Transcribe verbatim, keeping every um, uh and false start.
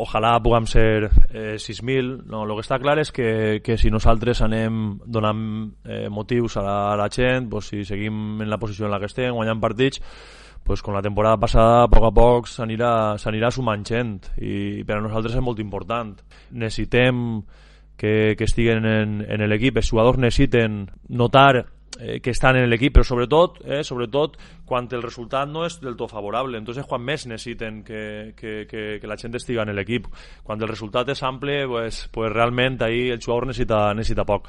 ojalà puguem ser eh, sis mil. No, el que està clar és que, que si nosaltres anem donant eh, motius a la, a la gent, pues, si seguim en la posició en la que estem, guanyant partits, pues, com la temporada passada, a poc a poc s'anirà s'anirà sumant gent, i per a nosaltres és molt important. Necessitem que, que estiguen en, en l'equip, els jugadors necessiten notar eh, que estan en l'equip, però sobretot, eh, sobretot quan el resultat no és del tot favorable. Entonces, quan més necessiten que, que, que, que la gent estiga en l'equip. Quan el resultat és ample, pues, pues realment ahí el jugador necessita, necessita poc.